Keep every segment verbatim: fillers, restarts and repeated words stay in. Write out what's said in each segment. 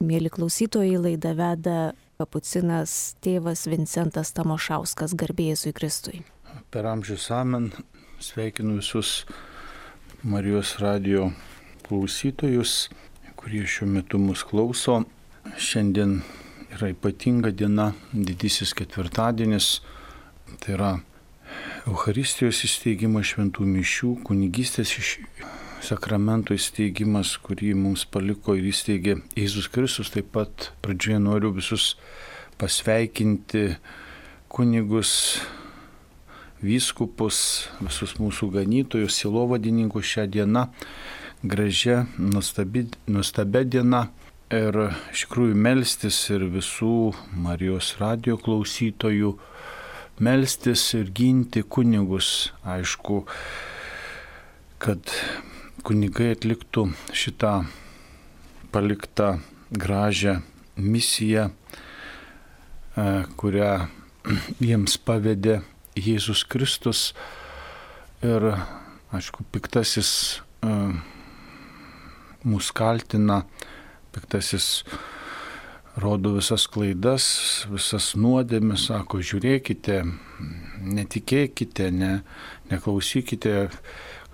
Mėly klausytojai, laidą veda kapucinas tėvas Vincentas Tamošauskas, garbė Jėzui Kristui. Per amžius amen sveikinu visus Marijos radijo klausytojus, kurie šiuo metu mus klauso. Šiandien yra ypatinga diena, didysis ketvirtadienis, tai yra Eucharistijos įsteigimas, šventų mišių, kunigystės iš sakramento įsteigimas, kurį mums paliko ir įsteigė Jėzus Kristus. Taip pat pradžioje noriu visus pasveikinti, kunigus, vyskupus, visus mūsų ganytojus, sielovadininkus šią dieną, gražia, nuostabi, nuostabia diena. Ir iš tikrųjų melstis ir visų Marijos radijo klausytojų, melstis ir ginti kunigus. Aišku, kad kunigai atliktų šitą paliktą gražią misiją, kurią jiems pavedė Jėzus Kristus. Ir, aišku, piktasis mus kaltina, piktasis rodo visas klaidas, visas nuodėmes, sako, žiūrėkite, netikėkite, ne, neklausykite,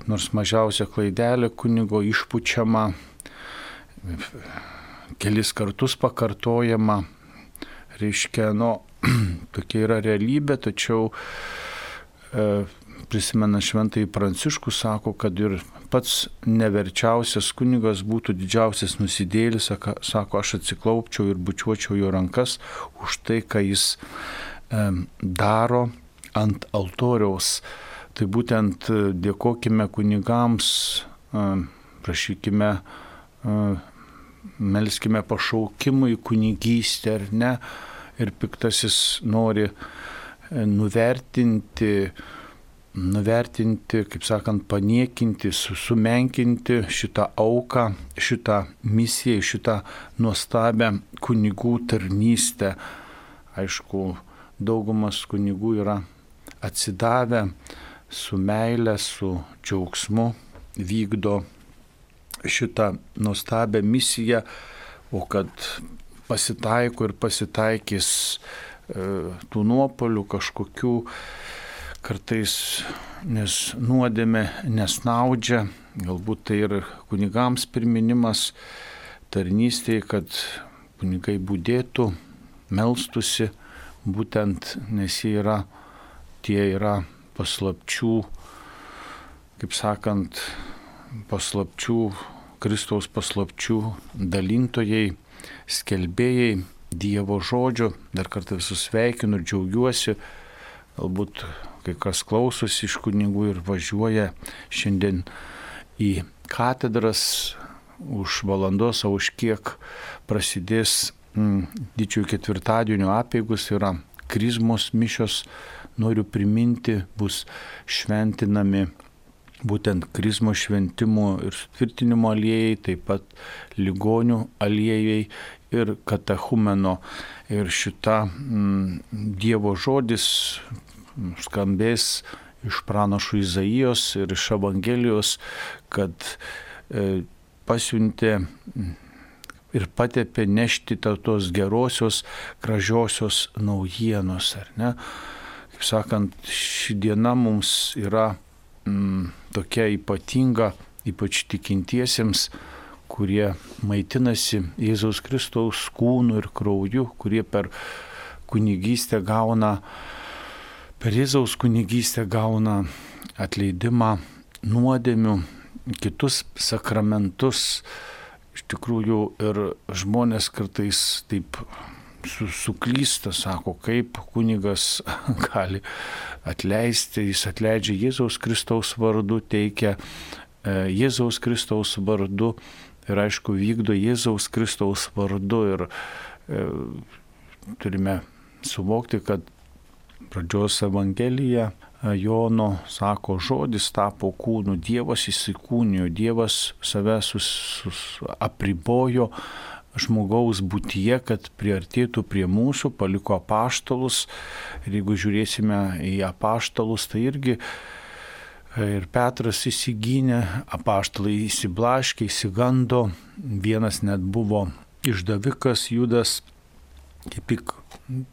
nors mažiausia klaidelė kunigo išpučiama, kelis kartus pakartojama, reiškia, nu, tokia yra realybė, tačiau e, prisimena šventąjį Pranciškų, sako, kad ir pats neverčiausias kunigas būtų didžiausias nusidėjėlis, sako, aš atsiklaupčiau ir bučiuočiau jo rankas už tai, ką jis e, daro ant altoriaus. Tai būtent dėkokime kunigams, prašykime, melskime pašaukimui kunigystę, ar ne, ir piktasis nori nuvertinti, nuvertinti, kaip sakant, paniekinti, sumenkinti šitą auką, šitą misiją, šitą nuostabią kunigų tarnystę. Aišku, daugumas kunigų yra atsidavę, su meile, su džiaugsmu vykdo šitą nuostabią misiją, o kad pasitaiko ir pasitaikys e, tų nuopolių kažkokių, kartais, nes nuodėmė nesnaudžia, galbūt tai ir kunigams priminimas tarnystėje, kad kunigai budėtų, melstusi, būtent nes jie yra, tie yra paslapčių, kaip sakant, paslapčių, Kristaus paslapčių dalintojai, skelbėjai Dievo žodžio. Dar kartą visus sveikinu ir džiaugiuosi. Galbūt kai kas klausosi iš kunigų ir važiuoja šiandien į katedras už valandos, o už kiek prasidės mm, didžiojo ketvirtadienio apeigos, yra krizmos mišios. Noriu priminti, bus šventinami būtent krizmo šventimų ir sutvirtinimo aliejai, taip pat ligonių aliejai ir katechumeno. Ir šita mm, Dievo žodis skambės iš pranašo Izaijos ir iš Evangelijos, kad e, pasiuntė ir patepė nešti tos gerosios, gražiosios naujienos, ar ne? Kaip sakant, ši diena mums yra mm, tokia ypatinga, ypač tikintiesiems, kurie maitinasi Jėzaus Kristaus kūnu ir krauju, kurie per kunigystę gauna, per Jėzaus kunigystę gauna atleidimą nuodėmių, kitus sakramentus. Iš tikrųjų ir žmonės kartais taip suklysta, sako, kaip kunigas gali atleisti, jis atleidžia Jėzaus Kristaus vardu, teikia Jėzaus Kristaus vardu ir aišku vykdo Jėzaus Kristaus vardu. Ir e, turime suvokti, kad pradžios Evangelija Jono sako, žodis tapo kūnu, Dievas įsikūnijo, Dievas save sus, sus, apribojo žmogaus būtyje, kad priartėtų prie mūsų, paliko apaštalus. Ir jeigu žiūrėsime į apaštalus, tai irgi ir Petras įsigynė, apaštalai įsiblaškė, įsigando, vienas net buvo išdavikas Judas, kaip tik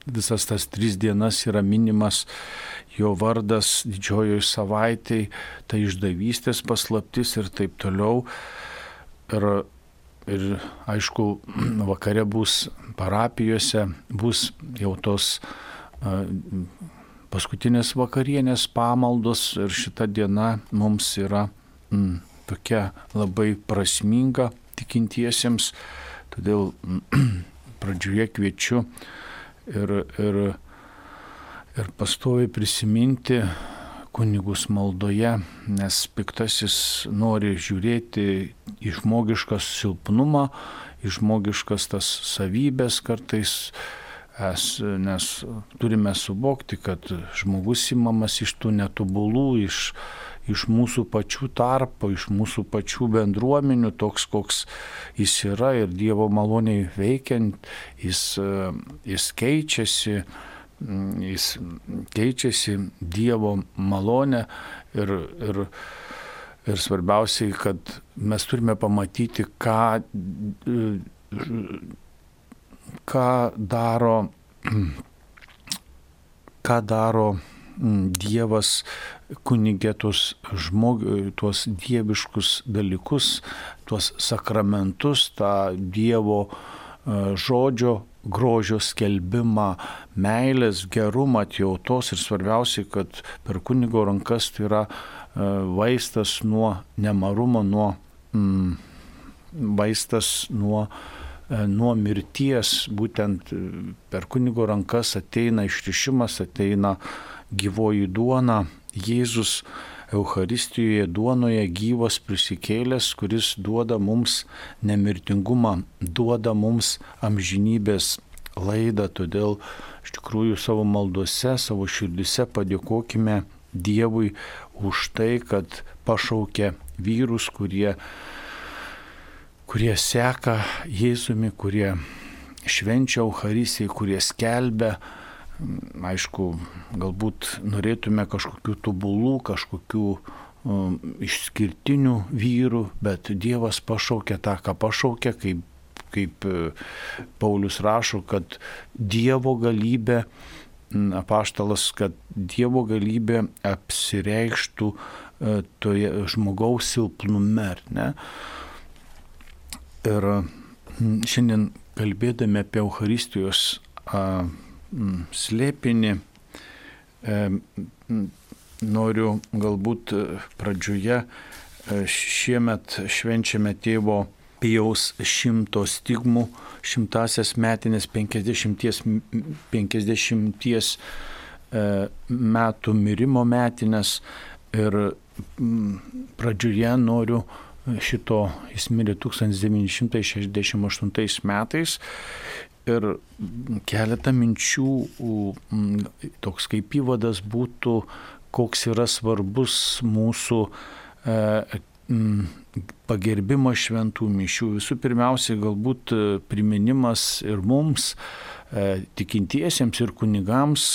visas tas tris dienas yra minimas jo vardas didžiojoje savaitėje, tai išdavystės paslaptis ir taip toliau. Ir, ir aišku, vakare bus parapijose, bus jau tos uh, paskutinės vakarienės pamaldos ir šita diena mums yra mm, tokia labai prasminga tikintiesiems. Todėl pradžioje kviečiu ir, ir, ir pastoviai prisiminti kunigus maldoje, nes piktasis nori žiūrėti į žmogišką silpnumą, į žmogiškas tas savybės kartais, es, nes turime suvokti, kad žmogus imamas iš tų netobulų, iš iš mūsų pačių tarpo, iš mūsų pačių bendruomenių, toks koks jis yra ir Dievo maloniai veikiant, jis, jis keičiasi, jis keičiasi Dievo malonę ir, ir, ir svarbiausiai, kad mes turime pamatyti, ką, ką daro, ką daro Dievas kunigė tuos, žmog, tuos dieviškus dalykus, tuos sakramentus, tą Dievo žodžio grožio skelbimą, meilės, gerumą, atjautos ir svarbiausiai, kad per kunigo rankas tai yra vaistas nuo nemarumo, nuo, mm, vaistas nuo nuo mirties, būtent per kunigo rankas ateina išrišimas, ateina gyvoji duona, Jėzus Eucharistijoje duonoje gyvas prisikėlęs, kuris duoda mums nemirtingumą, duoda mums amžinybės laidą. Todėl iš tikrųjų savo maldose, savo širdise padėkokime Dievui už tai, kad pašaukė vyrus, kurie kurie seka Jėzumi, kurie švenčia Eucharistiją, kurie skelbia. Aišku, galbūt norėtume kažkokių tobulų, kažkokių um, išskirtinių vyrų, bet Dievas pašaukė tą, ką pašaukė, kaip, kaip Paulius rašo, kad Dievo galybė, apaštalas, kad Dievo galybė apsireikštų toje žmogaus silpnume, ar ne? Ir šiandien kalbėdami apie Eucharistijos a, m, slėpinį, e, m, noriu galbūt pradžioje e, šiemet švenčiame tėvo Pijaus šimto stigmų, šimtasias metinės penkiasdešimties, penkiasdešimties e, metų mirimo metinės ir m, pradžioje noriu šito, jis mirė tūkstantis devyni šimtai šešiasdešimt aštuntais metais ir keletą minčių, toks kaip įvadas būtų, koks yra svarbus mūsų e, pagerbimas šventų mišių. Visų pirmiausiai galbūt priminimas ir mums, e, tikintiesiems ir kunigams,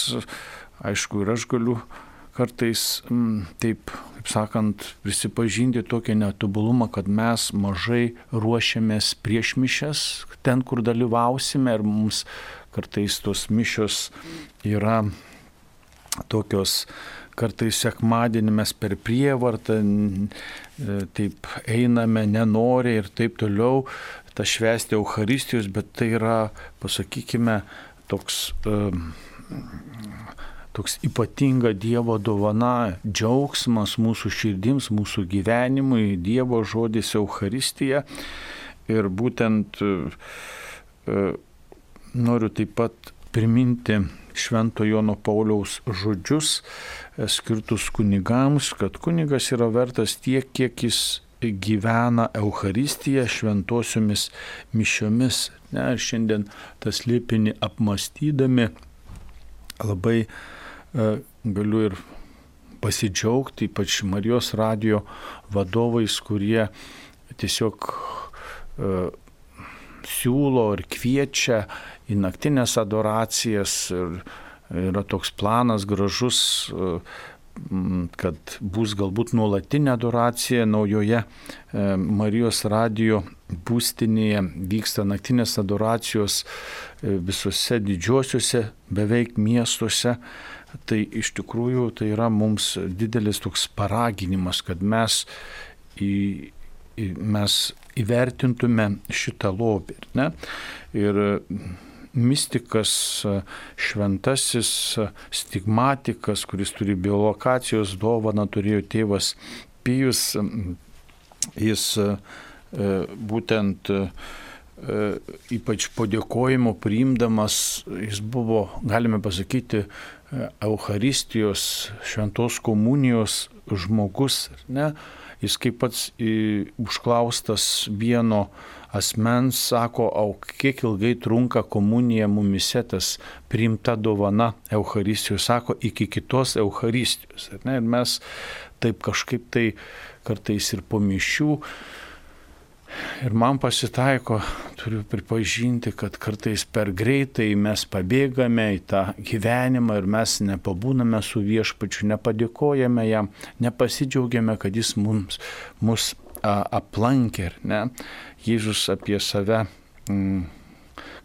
aišku, ir aš galiu kartais m, taip, kaip sakant, prisipažinti tokią netobulumą, kad mes mažai ruošiamės prieš mišias, ten, kur dalyvausime, ir mums kartais tos mišios yra tokios, kartais sekmadienį mes per prievartą, taip einame, nenori ir taip toliau, tą švęsti Eucharistijos, bet tai yra, pasakykime, toks... Um, toks ypatinga Dievo dovana, džiaugsmas mūsų širdims, mūsų gyvenimui, Dievo žodis Eucharistija. Ir būtent e, noriu taip pat priminti Švento Jono Pauliaus žodžius e, skirtus kunigams, kad kunigas yra vertas tiek, kiek jis gyvena Eucharistiją šventosiomis mišiomis. Ne, ir šiandien tas slėpinį apmastydami labai galiu ir pasidžiaugti, ypač Marijos radijo vadovais, kurie tiesiog uh, siūlo ir kviečia į naktinės adoracijas. Ir yra toks planas gražus uh, kad bus galbūt nuolatinė adoracija naujoje Marijos radijo būstinėje, vyksta naktinės adoracijos visose didžiosiuose beveik miestuose. Tai iš tikrųjų tai yra mums didelis toks paraginimas, kad mes, į, į, mes įvertintume šitą lobį. Ne? Ir mistikas, šventasis stigmatikas, kuris turi biolokacijos dovaną, turėjo tėvas Pijus, jis būtent ypač po dėkojimo priimdamas, jis buvo, galime pasakyti, Eucharistijos, šventos komunijos žmogus. Ne? Jis kaip pats užklaustas vieno asmens sako, o kiek ilgai trunka komunija mumise, tas priimta dovana Eucharistijos, sako, iki kitos Eucharistijos. Ne? Ir mes taip kažkaip tai kartais ir po mišių. Ir man pasitaiko, turiu pripažinti, kad kartais per greitai mes pabėgame į tą gyvenimą ir mes nepabūname su viešpačiu, nepadėkojame jam, nepasidžiaugiame, kad jis mums, mus a, aplankė. Ne? Jėzus apie save mm,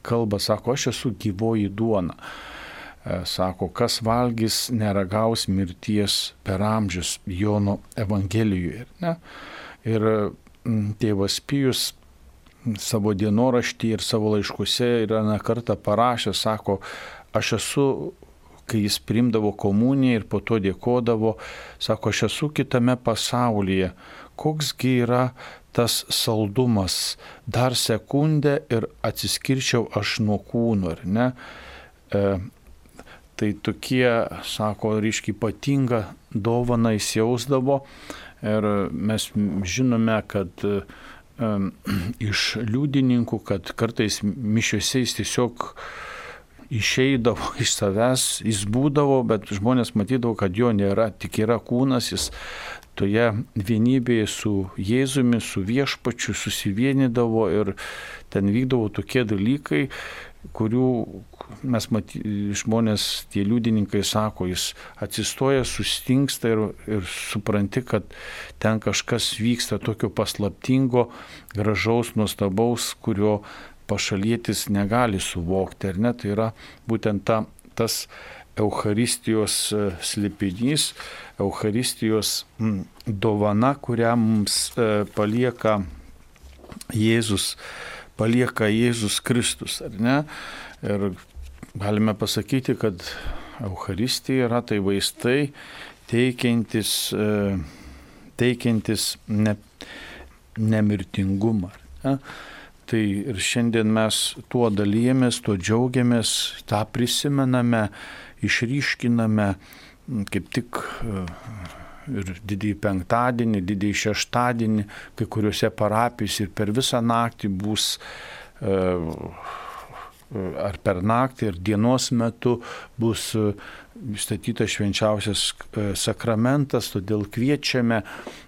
kalba, sako, aš esu gyvoji duona. E, sako, kas valgys, neragaus mirties per amžius, Jono Evangelijoje. Ne? Ir tėvas Pijus savo dienoraštį ir savo laiškuose yra ne kartą parašęs, sako, aš esu, kai jis priimdavo komuniją ir po to dėkodavo, sako, aš esu kitame pasaulyje, koksgi yra tas saldumas, dar sekundę ir atsiskirčiau aš nuo kūno, ar ne? E, tai tokie, sako, ryškiai ypatinga dovana jis jausdavo. Ir mes žinome, kad um, iš liudininkų, kad kartais mišiuose jis tiesiog išeidavo iš savęs, jis būdavo, bet žmonės matydavo, kad jo nėra, tik yra kūnas, jis toje vienybėje su Jėzumi, su viešpačiu susivienydavo ir ten vykdavo tokie dalykai, kurių mes maty, žmonės, tie liudininkai sako, jis atsistoja, sustingsta ir, ir supranti, kad ten kažkas vyksta tokio paslaptingo, gražaus, nuostabaus, kurio pašalietis negali suvokti. Ar ne? Tai yra būtent ta, tas Eucharistijos slėpinys, Eucharistijos dovana, kurią mums palieka Jėzus. palieka Jėzus Kristus, ar ne? Ir galime pasakyti, kad Eucharistija yra tai vaistai teikiantis, teikiantis ne, nemirtingumą. Ne? Tai ir šiandien mes tuo dalyjamės, tuo džiaugiamės, tą prisimename, išryškiname, kaip tik ir didįjį penktadienį, didįjį šeštadienį, kai kuriuose parapijose ir per visą naktį bus, ar per naktį, ir dienos metu bus statytas švenčiausias sakramentas, todėl kviečiame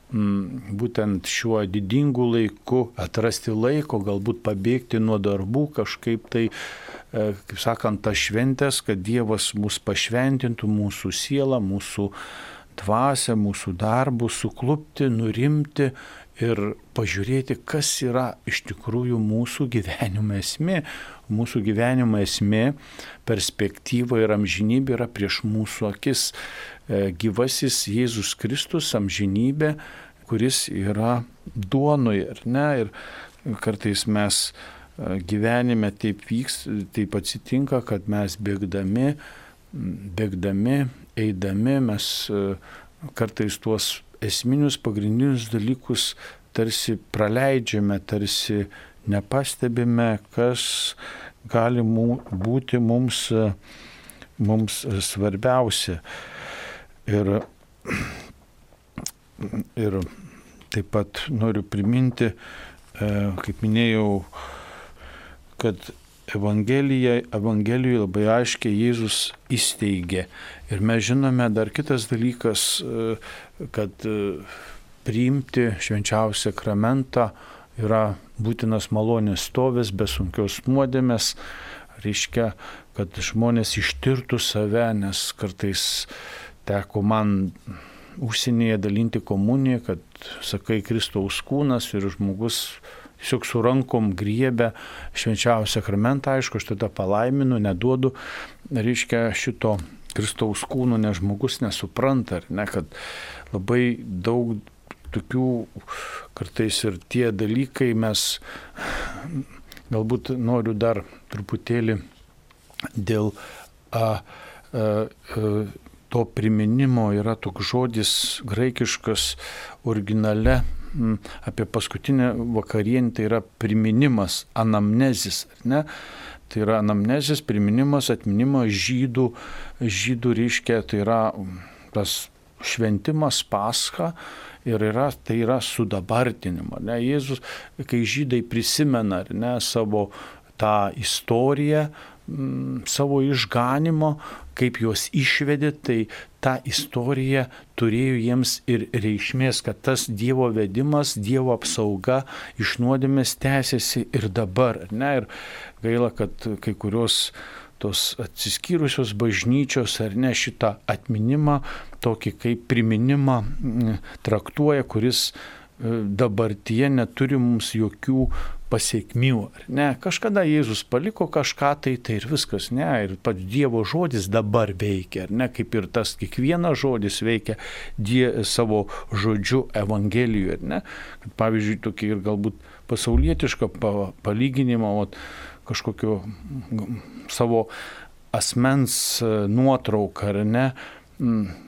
būtent šiuo didingu laiku atrasti laiko, galbūt pabėgti nuo darbų, kažkaip tai, kaip sakant, tas šventės, kad Dievas mus pašventintų, mūsų sielą, mūsų dvasią, mūsų darbus, suklupti, nurimti ir pažiūrėti, kas yra iš tikrųjų mūsų gyvenimo esmė. Mūsų gyvenimo esmė, perspektyva ir amžinybė yra prieš mūsų akis. Gyvasis Jėzus Kristus, amžinybė, kuris yra duonoje, ar ne? Ir kartais mes gyvenime taip vyks, taip atsitinka, kad mes bėgdami, bėgdami, eidami, mes kartais tuos esminius pagrindinius dalykus tarsi praleidžiame, tarsi nepastebime, kas gali būti mums, mums svarbiausia. Ir, ir taip pat noriu priminti, kaip minėjau, kad Evangelija, Evangelijoje labai aiškiai Jėzus įsteigė. Ir mes žinome dar kitas dalykas, kad priimti švenčiausią sakramentą yra būtinas malonės stovis be sunkios nuodėmės. Reiškia, kad žmonės ištirtų save, nes kartais teko man užsienyje dalinti komuniją, kad sakai Kristaus kūnas ir žmogus tiesiog su rankom griebia švenčiausią sakramentą, aišku, aš tada palaiminu, neduodu, reiškia šito Kristaus kūno, nes žmogus nesupranta, ar ne, kad labai daug tokių kartais ir tie dalykai mes galbūt noriu dar truputėlį dėl a, a, a, to priminimo yra toks žodis graikiškas originale m, apie paskutinę vakarienę, tai yra priminimas, anamnezis, ar ne? Tai yra anamnezis, priminimas, atminimas žydų, žydų reiškia, tai yra tas šventimas Pascha ir yra, tai yra sudabartinimo. Ne? Jėzus, kai žydai prisimena, ar ne, savo tą istoriją, m, savo išganimo, kaip juos išvedė, tai ta istorija turėjo jiems ir reikšmės, kad tas Dievo vedimas, Dievo apsauga iš nuodėmės tęsiasi ir dabar. Ne? Ir gaila, kad kai kurios tos atsiskyrusios bažnyčios ar ne šitą atminimą, tokį kaip priminimą traktuoja, kuris dabartyje neturi mums jokių pasiekmių. Ne? Kažkada Jėzus paliko kažką, tai tai ir viskas. Ne? Ir pats Dievo žodis dabar veikia. Ne? Kaip ir tas kiekvienas žodis veikia die, savo žodžiu Evangelijoje. Ne? Kad, pavyzdžiui, tokį ir galbūt pasaulietišką palyginimą, ot, kažkokio savo asmens nuotrauką, ar ne,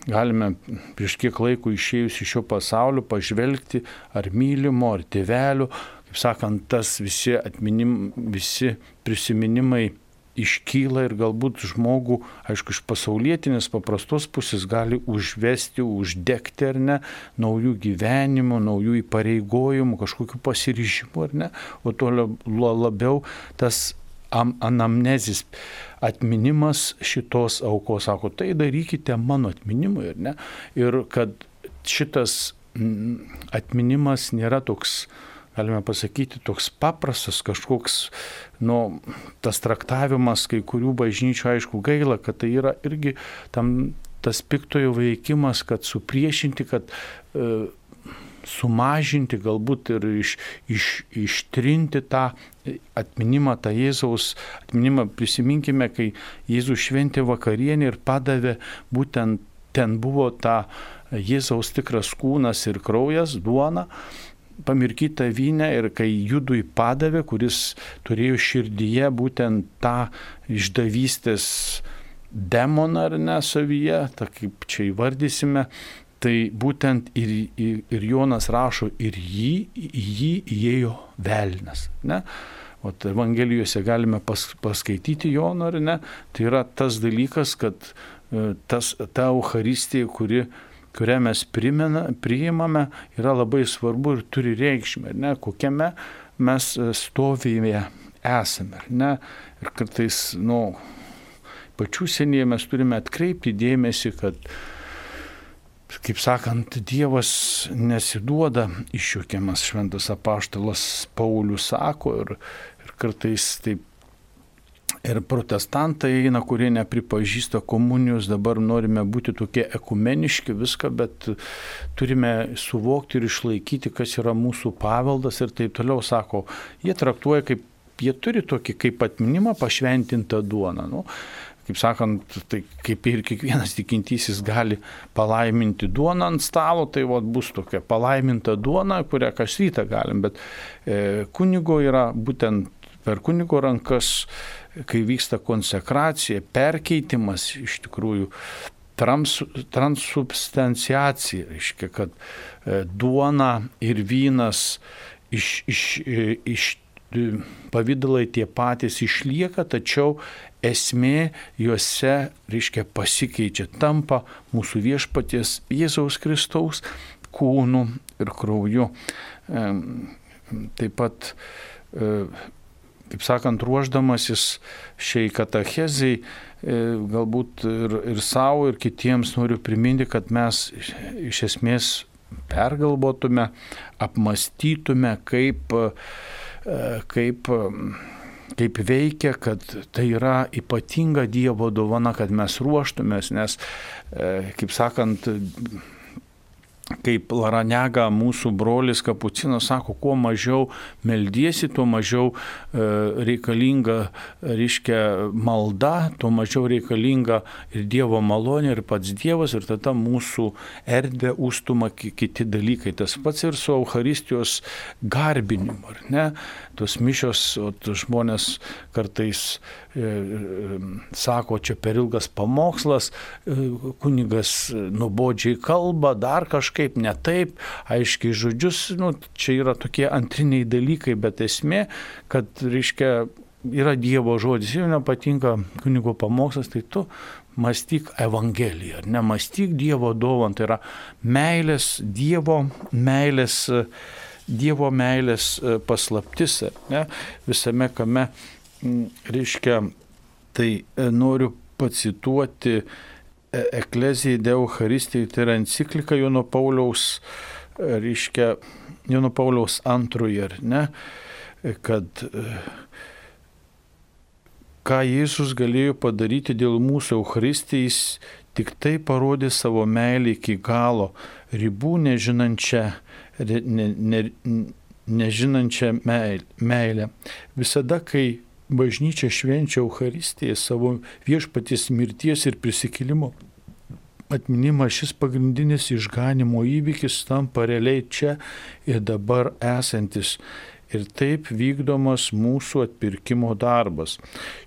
galime prieš kiek laiko išėjus iš šio pasaulio pažvelgti ar mylimo, ar tėvelių, kaip sakant, tas visi atminim, visi prisiminimai iškyla ir galbūt žmogų, aišku, iš pasaulietinės paprastos pusės gali užvesti, uždegti, ar ne, naujų gyvenimų, naujų įpareigojimų, kažkokių pasiryžimų, ar ne, o to labiau tas anamnezis, atminimas šitos aukos, sako, tai darykite mano atminimui, ar ne, ir kad šitas atminimas nėra toks, galime pasakyti, toks paprastas, kažkoks, nu, tas traktavimas kai kurių bažnyčių, aišku, gaila, kad tai yra irgi tam tas piktojo veikimas, kad supriešinti, kad e, sumažinti, galbūt ir iš, iš, ištrinti tą atminimą, tą Jėzaus atminimą. Prisiminkime, kai Jėzus šventė vakarienę ir padavė, būtent ten buvo ta Jėzaus tikras kūnas ir kraujas, duona, pamirkyta vyne, ir kai Judui padavė, kuris turėjo širdyje būtent tą išdavystės demoną, ar ne, savyje, ta kaip čia įvardysime, tai būtent ir, ir, ir Jonas rašo, ir jį, jį įėjo velnias. Ne? O Evangelijose galime pas, paskaityti Joną, ar ne, tai yra tas dalykas, kad tas, ta Eucharistija, kuri kurią mes primena, priimame, yra labai svarbu ir turi reikšmę, ne, kokiame mes stovyje esame. Ne? Ir kartais, nu, pačių senieji mes turime atkreipti dėmesį, kad, kaip sakant, Dievas nesiduoda išjuokiamas, šventas apaštalas Paulius sako, ir, ir kartais taip. Ir protestantai eina, kurie nepripažįsta komunijos, dabar norime būti tokie ekumeniški viską, bet turime suvokti ir išlaikyti, kas yra mūsų paveldas ir taip toliau, sako, jie traktuoja kaip, jie turi tokį kaip atminimą pašventintą duoną. Nu, kaip sakant, tai kaip ir kiekvienas tikintysis gali palaiminti duoną ant stalo, tai vat, bus tokia palaiminta duona, kurią kas rytą galim, bet e, kunigo yra būtent per kunigo rankas, kai vyksta konsekracija, perkeitimas, iš tikrųjų trans, transubstanciacija, reiškia, kad e, duona ir vynas iš, iš, iš pavydalai tie patys išlieka, tačiau esmė juose, reiškia, pasikeičia, tampa mūsų viešpaties Jėzaus Kristaus kūnu ir krauju. E, taip pat e, kaip sakant, ruoždamasis šiai katachezei, galbūt ir, ir savo, ir kitiems noriu priminti, kad mes iš esmės pergalvotume, apmastytume, kaip, kaip, kaip veikia, kad tai yra ypatinga Dievo dovana, kad mes ruoštumės, nes, kaip sakant, kaip Laranega, mūsų brolis Kapucinas sako, kuo mažiau meldiesi, tuo mažiau e, reikalinga, reiškia, malda, tuo mažiau reikalinga ir Dievo malonė, ir pats Dievas, ir tada mūsų erdvė užstuma kiti dalykai. Tas pats ir su Eucharistijos garbinimu, ar ne? Tos mišios, o žmonės kartais e, e, sako, čia per ilgas pamokslas, e, kunigas nuobodžiai kalba, dar kažkaip. Kaip ne taip, aiškiai žodžius, nu, čia yra tokie antriniai dalykai, bet esmė, kad, reiškia, yra Dievo žodis, jeigu nepatinka kunigo pamokslas, tai tu mąstyk Evangeliją, nemąstyk Dievo dovaną, tai yra meilės, Dievo meilės, Dievo meilės paslaptis, ne, visame kame, reiškia, tai noriu pacituoti Ecclesiae de Eucharistijai, tai yra enciklika Jono Pauliaus, reiškia, Jono Pauliaus antroji, ar ne, kad ką Jėzus galėjo padaryti dėl mūsų Eucharistijais, tik tai parodė savo meilę iki galo, ribų nežinančią, ne, ne, nežinančią meilę. Visada, kai bažnyčia švenčia Eucharistiją, savo viešpaties mirties ir prisikėlimo atminimą, šis pagrindinis išganimo įvykis tampa realiai čia ir dabar esantis. Ir taip vykdomas mūsų atpirkimo darbas.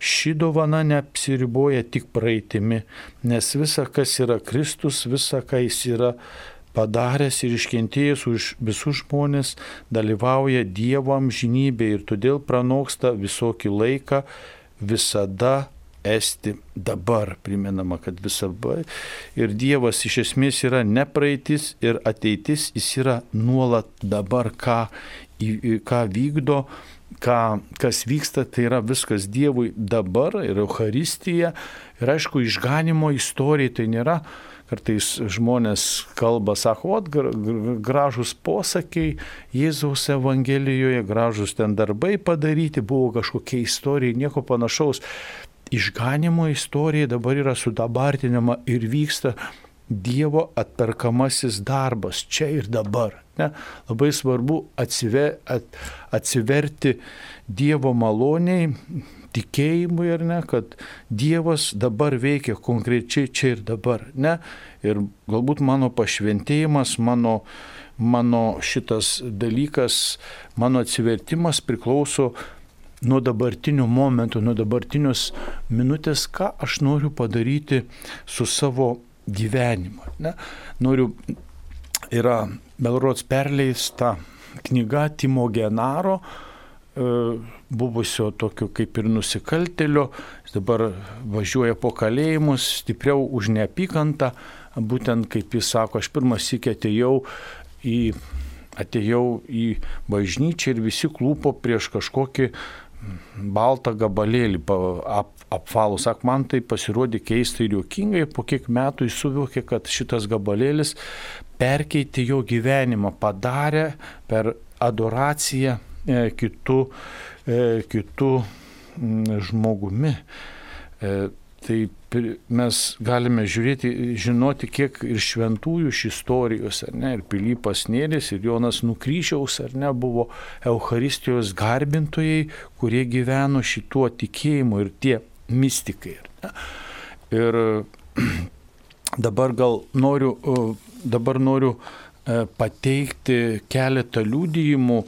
Ši dovana neapsiriboja tik praeitimi, nes visa, kas yra Kristus, visa, ką jis yra padaręs ir iškentėjęs už visus žmonės, dalyvauja Dievo amžinybėje ir todėl pranoksta visokį laiką, visada esti dabar. Primenama, kad visada. Ir Dievas iš esmės yra ne praeitis ir ateitis, jis yra nuolat dabar, ką, ką vykdo, ką, kas vyksta, tai yra viskas Dievui dabar ir Eucharistija. Ir aišku, išganimo istorija tai nėra. Kartais žmonės kalba, sako, o gražus posakiai Jėzaus Evangelijoje, gražus ten darbai padaryti, buvo kažkokia istorija, nieko panašaus. Išganimo istorija dabar yra sudabartinama ir vyksta Dievo atperkamasis darbas čia ir dabar. Ne? Labai svarbu atsiver, at, atsiverti Dievo maloniai, tikėjimui, ar ne, kad Dievas dabar veikia konkrečiai čia ir dabar. Ne? Ir galbūt mano pašventėjimas, mano, mano šitas dalykas, mano atsivertimas priklauso nuo dabartinių momentų, nuo dabartinios minutės, ką aš noriu padaryti su savo gyvenimu. Ne? Noriu, yra Belrods perleista knyga Timo Genaro, buvusio tokio kaip ir nusikaltėlio, jis dabar važiuoja po kalėjimus, stipriau už neapykantą, būtent kaip jis sako, aš pirmas sykį atėjau į, atėjau į bažnyčią ir visi klūpo prieš kažkokį baltą gabalėlį ap, apvalų. Sak, man tai pasirodė keistai ir juokingai, po kiek metų jis suvokė, kad šitas gabalėlis perkeitė jo gyvenimą, padarė per adoraciją kitų, kitų žmogumi. Tai mes galime žiūrėti, žinoti, kiek ir šventųjų iš istorijos, ar ne, ir Pilypas Nėris, ir Jonas Nukryžiaus, ar ne, buvo Eucharistijos garbintojai, kurie gyveno šituo tikėjimu, ir tie mistikai. Ar ne. Ir dabar gal noriu, dabar noriu pateikti keletą liudijimų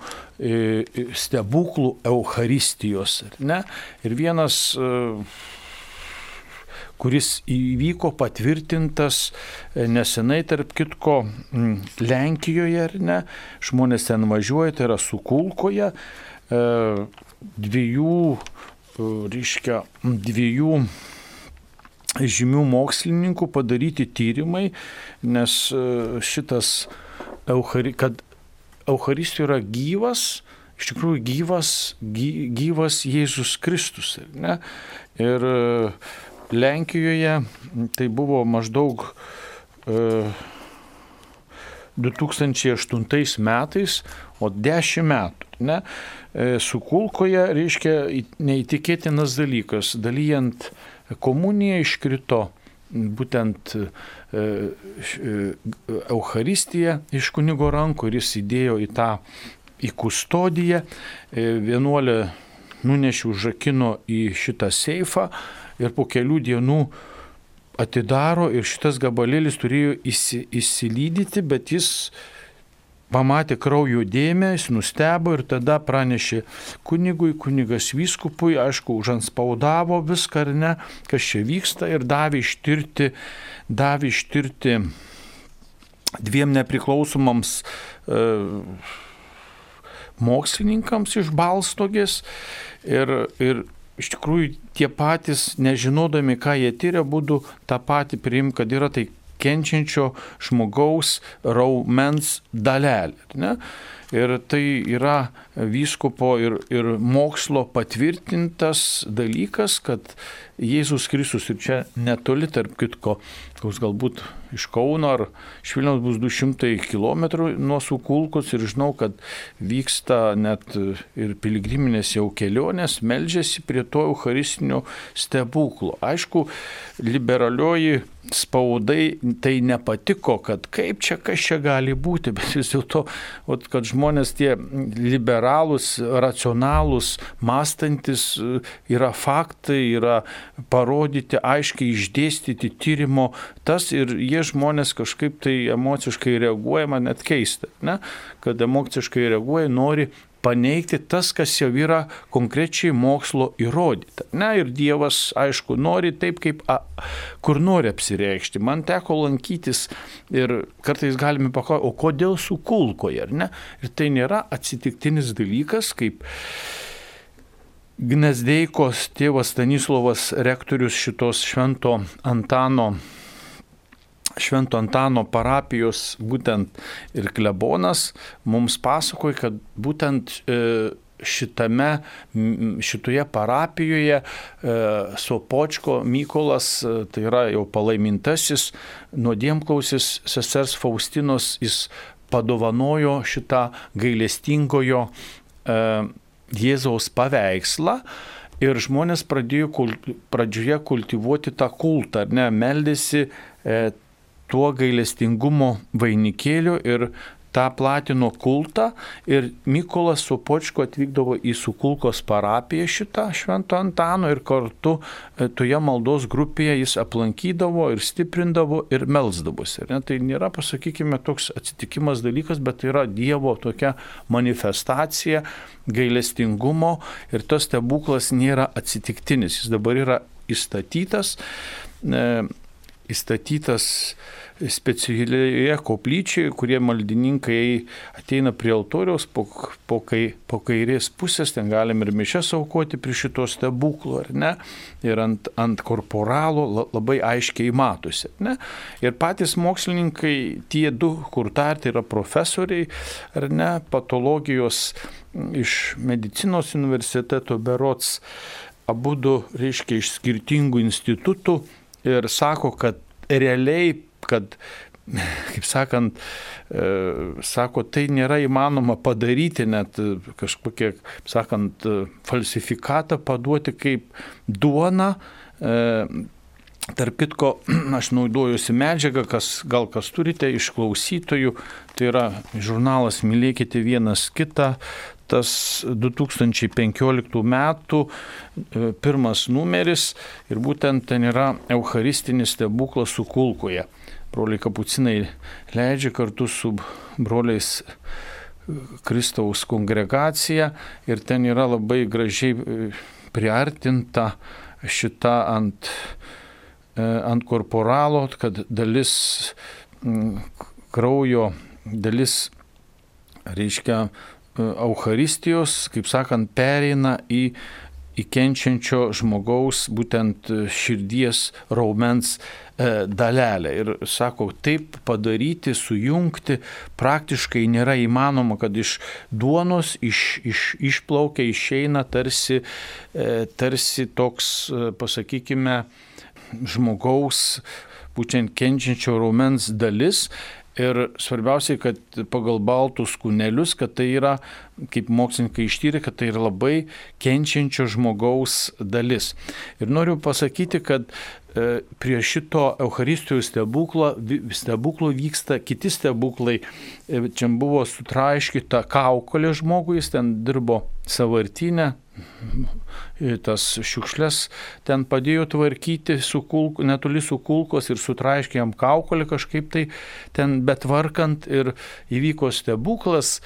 stebuklų Eucharistijos. Ne? Ir vienas, kuris įvyko patvirtintas nesenai, tarp kitko, Lenkijoje, ar ne? Žmonės ten važiuoja, tai yra Sukulkoje, dviejų, reiškia, dviejų žymių mokslininkų padaryti tyrimai, nes šitas Euchari, kad Eucharistija yra gyvas, iš tikrųjų gyvas, gy, gyvas Jėzus Kristus. Ne? Ir Lenkijoje tai buvo maždaug e, du tūkstančiai aštuntais metais, o dešimt metų. Ne? Su kulkoje, reiškia, neįtikėtinas dalykas. Dalyjant komuniją iškrito būtent Eucharistija iš kunigo rankų ir jis įdėjo į tą, į kustodiją. Vienuolė nunešė, užrakino į šitą seifą ir po kelių dienų atidaro ir šitas gabalėlis turėjo įsi, įsilydyti, bet jis pamatė kraujo dėmę, jis nustebo ir tada pranešė kunigui, kunigas vyskupui, aišku, užanspaudavo viską ar ne, kas čia vyksta ir davė ištirti, davė ištirti dviem nepriklausomams e, mokslininkams iš Balstogės ir, ir iš tikrųjų tie patys, nežinodami, ką jie tyria, būtų tą patį priimti, kad yra tai kenčiančio žmogaus raumens dalelė. Ne? Ir tai yra vyskupo ir, ir mokslo patvirtintas dalykas, kad Jėzus Kristus, ir čia netoli, tarp kitko, koks galbūt iš Kauno ar iš Vilniaus bus du šimtai kilometrų nuo Sukulkos ir žinau, kad vyksta net ir piligriminės jau kelionės, meldžiasi prie to eucharistinio stebuklo. Aišku, liberalioji spaudai tai nepatiko, kad kaip čia, kas čia gali būti, bet vis dėlto, kad žmonės tie liberalūs, racionalūs, mąstantis yra faktai, yra parodyti, aiškiai išdėstyti tyrimo tas ir jie žmonės kažkaip tai emociškai reaguoja, man net keista, ne? Kad emociškai reaguoja, nori paneigti tas, kas jau yra konkrečiai mokslo įrodyta. Ne, ir Dievas, aišku, nori taip, kaip a, kur nori apsireikšti. Man teko lankytis ir kartais galime paklausti, o kodėl Sukulkoje, ar ne? Ir tai nėra atsitiktinis dalykas, kaip Gnezdeikos tėvas Stanislovas, rektorius šitos Švento Antano Švento Antano parapijos būtent ir klebonas mums pasakoja, kad būtent šitame, šitoje parapijoje Sopočko Mykolas, tai yra jau palaimintasis, nuodėmklausis sesers Faustinos, jis padovanojo šitą gailestingojo Jėzaus paveikslą. Ir žmonės pradėjo kulti, pradžioje kultivuoti tą kultą, ne, meldėsi e, tuo gailestingumo vainikėliu ir tą platino kultą. Ir Mykolas Sopočko atvykdavo į Sukulkos parapiją šitą Švento Antano ir kartu e, toje maldos grupėje jis aplankydavo ir stiprindavo ir melsdavosi. Ne? Tai nėra, pasakykime, toks atsitikimas dalykas, bet tai yra Dievo tokia manifestacija gailestingumo ir tas stebuklas nėra atsitiktinis. Jis dabar yra įstatytas, e, įstatytas specialioje koplyčioje, kurie maldininkai ateina prie altoriaus po, po, kai, po kairės pusės, ten galim ir mišias aukoti prie šito stebuklo, ar ne? Ir ant, ant korporalo labai aiškiai matosi, ne? Ir patys mokslininkai, tie du, kur dar tai yra profesoriai, ar ne, patologijos iš medicinos universiteto berods, abudu, reiškia, iš skirtingų institutų ir sako, kad realiai, kad, kaip sakant, e, sako, tai nėra įmanoma padaryti, net kažkokie, kaip sakant, falsifikatą paduoti kaip duona. E, tarp kitko, aš naudojusi medžiagą, kas, gal kas turite iš klausytojų, tai yra žurnalas Mylėkite vienas kitą, tas du tūkstančiai penkioliktų metų pirmas numeris ir būtent ten yra eucharistinis stebuklas Sukulkoje. Broliai kapucinai leidžia kartu su broliais Kristaus kongregacija ir ten yra labai gražiai priartinta šita ant, ant korporalo, kad dalis kraujo, dalis, reiškia, Eucharistijos, kaip sakant, pereina į, į kenčiančio žmogaus būtent širdies raumens e, dalelę. Ir sako, taip padaryti, sujungti praktiškai nėra įmanoma, kad iš duonos iš, iš, išplaukia, išeina tarsi, e, tarsi toks, e, pasakykime, žmogaus būtent kenčiančio raumens dalis. Ir svarbiausiai, kad pagal baltus kūnelius, kad tai yra, kaip mokslininkai ištyrė, kad tai yra labai kenčiančio žmogaus dalis. Ir noriu pasakyti, kad e, prie šito Eucharistijos stebuklo, stebuklo vyksta kiti stebuklai. E, čia buvo sutraiškyta kaukolė žmogui, jis ten dirbo sąvartynę, tas šiukšles ten padėjo tvarkyti su kulku, netoli su kulkos ir sutraiškė jam kaukolę kažkaip tai ten betvarkant ir įvyko stebuklas.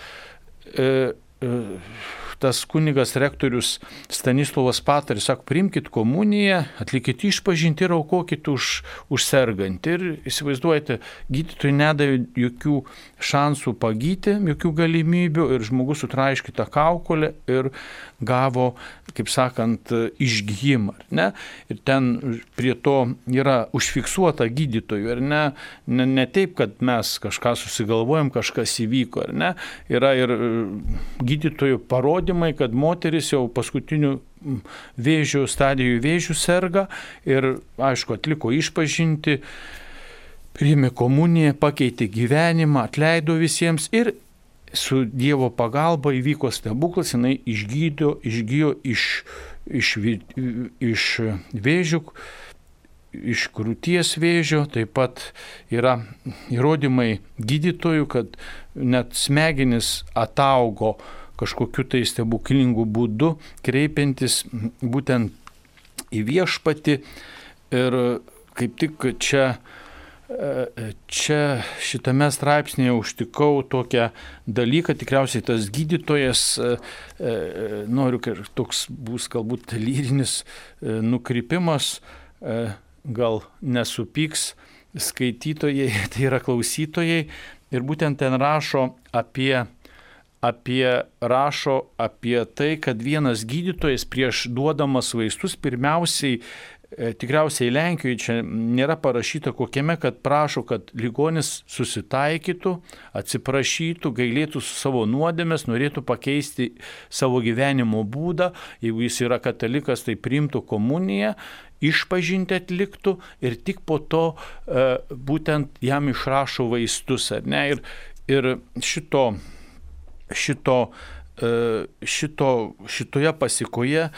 E, e, tas kunigas rektorius Stanislovas Pataris sako, priimkit komuniją, atlikit išpažinti ir aukokit už, už sergantį. Ir įsivaizduojate, gydytojai nedavė jokių šansų pagyti, jokių galimybių ir žmogus sutraiškytą kaukolę ir gavo, kaip sakant, išgijimą. Ne? Ir ten prie to yra užfiksuota gydytojų. Ir ne, ne, ne taip, kad mes kažką susigalvojam, kažkas įvyko. Ar ne? Yra ir gydytojų parodymai, kad moteris jau paskutinių vėžių stadijų vėžių serga ir, aišku, atliko išpažinti, priėmė komuniją, pakeitė gyvenimą, atleido visiems ir su Dievo pagalba įvyko stebuklas, jinai išgydo, išgyjo iš, iš, iš vėžių, iš krūties vėžio, taip pat yra įrodymai gydytojų, kad net smegenis ataugo kažkokiu tai stebuklingų būdu, kreipiantis būtent į viešpatį. Ir kaip tik čia Čia šitame straipsnėje užtikau tokią dalyką, tikriausiai tas gydytojas, noriu, kad toks bus galbūt lyrinis nukrypimas, gal nesupyks skaitytojai, tai yra klausytojai, ir būtent ten rašo apie, apie, rašo apie tai, kad vienas gydytojas prieš duodamas vaistus pirmiausiai, tikriausiai Lenkijoje čia nėra parašyta kokiame, kad prašo, kad ligonis susitaikytų, atsiprašytų, gailėtų su savo nuodėmės, norėtų pakeisti savo gyvenimo būdą. Jeigu jis yra katalikas, tai priimtų komuniją, išpažinti atliktų ir tik po to e, būtent jam išrašo vaistus. Ar ne? Ir, ir šito, šito Šito, šitoje pasikoje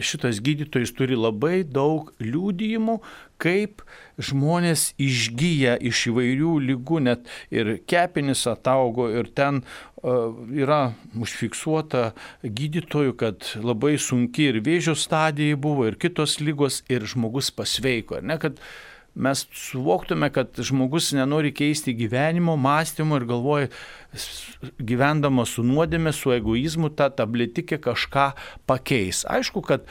šitas gydytojas turi labai daug liudijimų, kaip žmonės išgyja iš įvairių ligų, net ir kepenys ataugo ir ten uh, yra užfiksuota gydytojų, kad labai sunki ir vėžio stadija buvo ir kitos ligos ir žmogus pasveiko. Ne, kad mes suvoktume, kad žmogus nenori keisti gyvenimo, mąstymo ir galvoja, gyvendamas su nuodėme, su egoizmu, ta tabletikė kažką pakeis. Aišku, kad,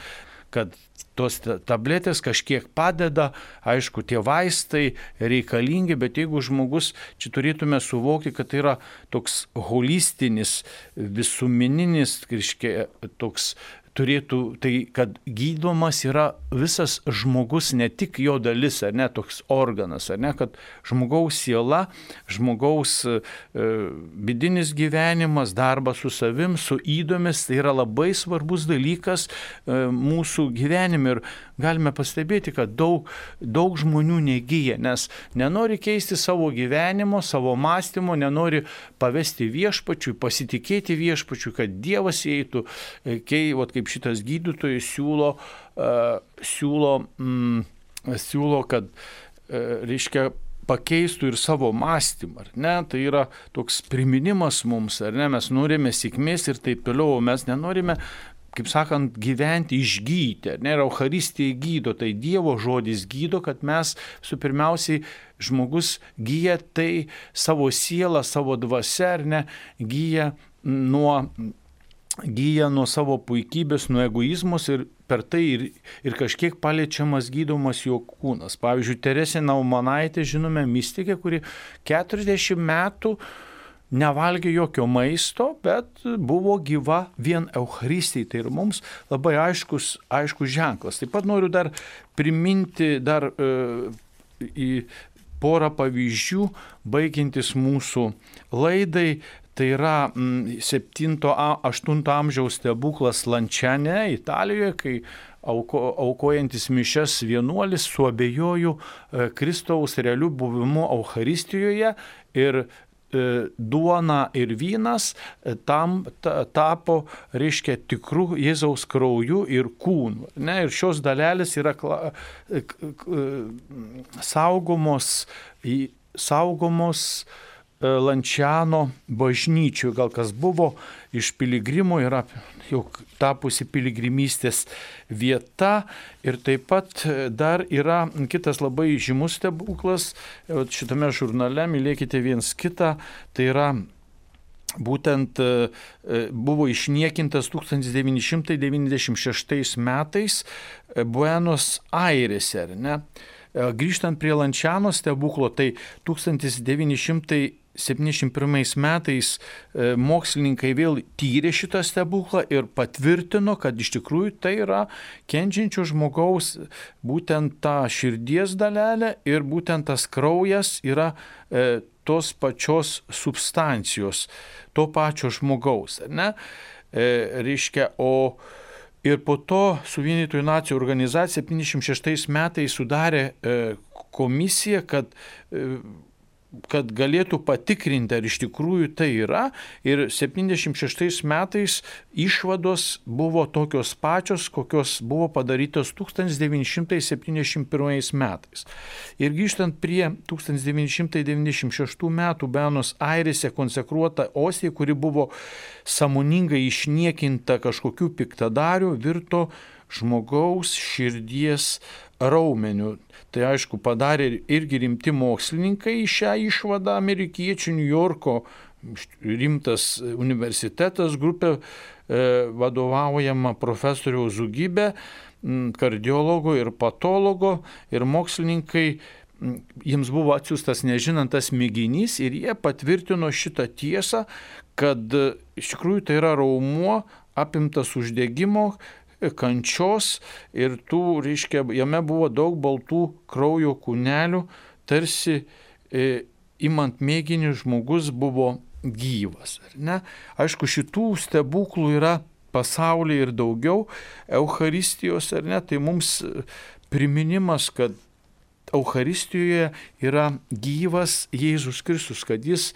kad tos tabletės kažkiek padeda, aišku, tie vaistai reikalingi, bet jeigu žmogus, čia turėtume suvokti, kad tai yra toks holistinis, visumininis, reiškia, toks turėtų, tai kad gydomas yra visas žmogus, ne tik jo dalis, ar ne, toks organas, ar ne, kad žmogaus siela, žmogaus e, vidinis gyvenimas, darbas su savim, su įdomis, tai yra labai svarbus dalykas e, mūsų gyvenime ir galime pastebėti, kad daug, daug žmonių negyja, nes nenori keisti savo gyvenimo, savo mąstymo, nenori pavesti viešpačiui, pasitikėti viešpačiui, kad Dievas įeitų, kai, vat, kaip šitas gydytojas siūlo, uh, siūlo, mm, siūlo, kad, uh, reiškia, pakeistų ir savo mąstymą, ar ne? Tai yra toks priminimas mums, ar ne? Mes norime sėkmės ir taip toliau, o mes nenorime, kaip sakant, gyventi išgydyti, ar ne? Ir Eucharistija gydo, tai Dievo žodis gydo, kad mes su pirmiausiai žmogus gyja tai savo sielą, savo dvasią, ar ne? Gyja nuo gyja nuo savo puikybės, nuo egoizmus ir per tai ir, ir kažkiek paliečiamas gydomas jo kūnas. Pavyzdžiui, Teresė Naumanaitė, žinome, mistikė, kuri keturiasdešimt metų nevalgė jokio maisto, bet buvo gyva vien Eucharistijai. Tai ir mums labai aiškus, aiškus ženklas. Taip pat noriu dar priminti dar e, į porą pavyzdžių, baigiantis mūsų laidai. Tai yra septinto aštunto amžiaus stebuklas Lančiane, Italijoje, kai auko, aukojantis mišias vienuolis suabejojo Kristaus realiu buvimu Eucharistijoje ir duona ir vynas tam tapo, reiškia, tikrų Jėzaus krauju ir kūnu. Ne? Ir šios dalelės yra saugomos, saugomos Lančiano bažnyčių. Gal kas buvo iš piligrimų, yra jau tapusi piligrimystės vieta. Ir taip pat dar yra kitas labai žymus stebuklas šitame žurnale, mylėkite viens kitą, tai yra būtent buvo išniekintas tūkstantis devyni šimtai devyniasdešimt šeštais metais Buenos Airėse. Ne? Grįžtant prie Lančiano stebuklo, tai tūkstantis devyni šimtai septyniasdešimt pirmais metais mokslininkai vėl tyrė šitą stebuklą ir patvirtino, kad iš tikrųjų tai yra kenčiančio žmogaus būtent ta širdies dalelė ir būtent tas kraujas yra e, tos pačios substancijos, to pačio žmogaus. Ne? E, reiškia, o ir po to Suvienytųjų nacijų organizacija septyniasdešimt šeštais metais sudarė e, komisiją, kad e, kad galėtų patikrinti, ar iš tikrųjų tai yra. Ir septyniasdešimt šeštais metais išvados buvo tokios pačios, kokios buvo padarytos tūkstantis devyni šimtai septyniasdešimt pirmais metais. Ir grįžtant prie tūkstantis devyni šimtai devyniasdešimt šeštų metų Buenos Airėse konsekruota ostija, kuri buvo sąmoningai išniekinta kažkokių piktadarių, virto žmogaus širdies raumeniu. Tai aišku, padarė irgi rimti mokslininkai šią išvadą amerikiečių, New Yorko rimtas universitetas, grupė e, vadovaujama profesoriaus Zugybė, kardiologo ir patologo, ir mokslininkai, jiems buvo atsiųstas nežinantas mėginys ir jie patvirtino šitą tiesą, kad iš tikrųjų tai yra raumuo apimtas uždegimo, kančios ir tų, reiškia, jame buvo daug baltų kraujo kūnelių, tarsi e, imant mėginį žmogus buvo gyvas. Ne? Aišku, šitų stebuklų yra pasaulyje ir daugiau, Eucharistijos, ar ne, tai mums priminimas, kad Eucharistijoje yra gyvas Jėzus Kristus, kad jis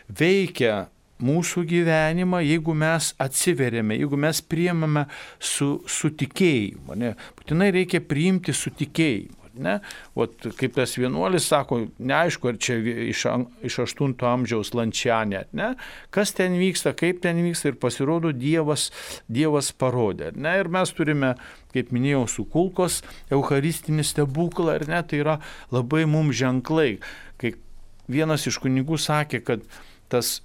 veikia mūsų gyvenimą, jeigu mes atsiveriame, jeigu mes priimame su, su tikėjimu. Ne? Būtinai reikia priimti su tikėjimu. Ne? Ot, kaip tas vienuolis sako, neaišku, ar čia iš, iš aštunto amžiaus Lančiane, ne? Kas ten vyksta, kaip ten vyksta, ir pasirodo Dievas, Dievas parodė. Ne? Ir mes turime, kaip minėjau, su kulkos eucharistinį stebuklą, ir ne, tai yra labai mums ženklai. Kai vienas iš kunigų sakė, kad tas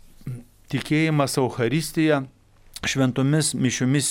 tikėjimas Eucharistija šventomis mišiomis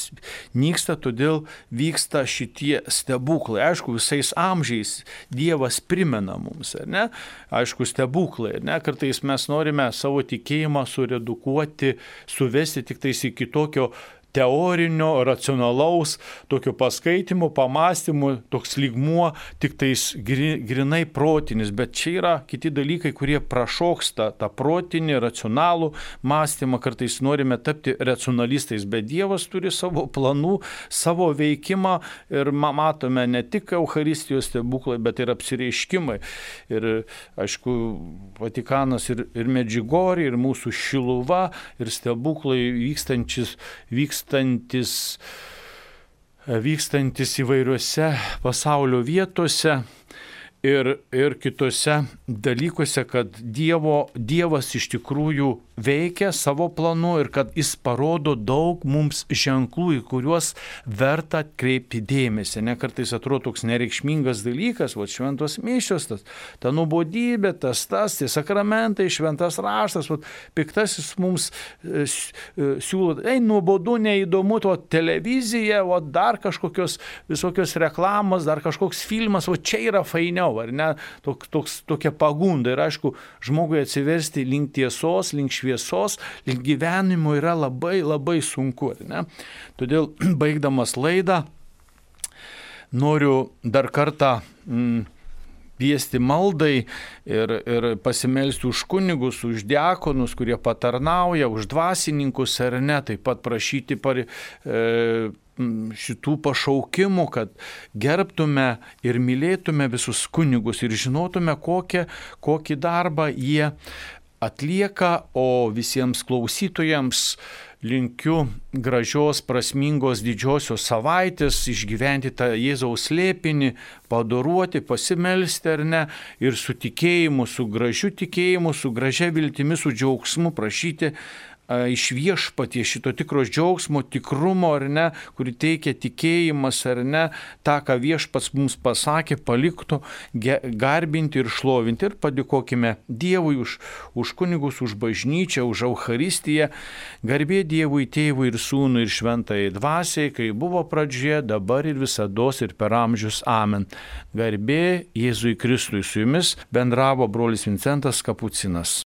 nyksta, todėl vyksta šitie stebuklai. Aišku, visais amžiais Dievas primena mums, ar ne? Aišku, stebuklai, ar ne? Kartais mes norime savo tikėjimą suredukuoti, suvesti tik tais iki tokio teorinio, racionalaus, tokio paskaitimo, pamastymų, toks lygmuo, tik tais grinai protinis, bet čia yra kiti dalykai, kurie prašoksta tą protinį, racionalų mąstymą, kartais norime tapti racionalistais, bet Dievas turi savo planų, savo veikimą ir matome ne tik Eucharistijos stebuklai, bet ir apsireiškimai. Ir, aišku, Vatikanas ir, ir Medžiugorje, ir mūsų Šiluva, ir stebuklai vykstantis, vykstantis Vykstantis, vykstantis įvairiuose pasaulio vietose ir, ir kitose dalykuose, kad Dievo, Dievas iš tikrųjų veikia savo planu ir kad jis parodo daug mums ženklų, į kuriuos verta atkreipti dėmesį. Ne, kartais atrodo toks nereikšmingas dalykas, va, šventos mišios, tas, ta nuobodybė, tas, tas, tie sakramentai, šventas raštas, va, piktasis mums e, siūlo, ei, nuobodu, neįdomu, to televizija, va, dar kažkokios visokios reklamos, dar kažkoks filmas, va, čia yra fainiau, ar ne, toks, toks, tokia pagunda. Ir aišku, žmogui atsiversti link tiesos, link šviesos, link gyvenimo yra labai, labai sunku. Ne? Todėl, baigdamas laidą, noriu dar kartą mm, kviesti maldai ir, ir pasimelsti už kunigus, už diakonus, kurie patarnauja, už dvasininkus ar ne, taip pat prašyti par, e, šitų pašaukimų, kad gerbtume ir mylėtume visus kunigus ir žinotume, kokią, kokį darbą jie atlieka, o visiems klausytojams linkiu gražios, prasmingos didžiosios savaitės, išgyventi tą Jėzaus slėpinį, padoruoti, pasimelsti ar ne, ir su tikėjimu, su gražiu tikėjimu, su gražia viltimi, su džiaugsmu prašyti iš viešpaties šito tikros džiaugsmo, tikrumo ar ne, kurį teikia tikėjimas ar ne, tą, ką viešpats mums pasakė, paliktų garbinti ir šlovinti. Ir padėkokime Dievui už, už kunigus, už bažnyčią, už Eucharistiją. Garbė Dievui, Tėvui ir Sūnui ir Šventajai Dvasiai, kai buvo pradžioje, dabar ir visados ir per amžius. Amen. Garbė Jėzui Kristui. Su jumis bendravo brolis Vincentas Kapucinas.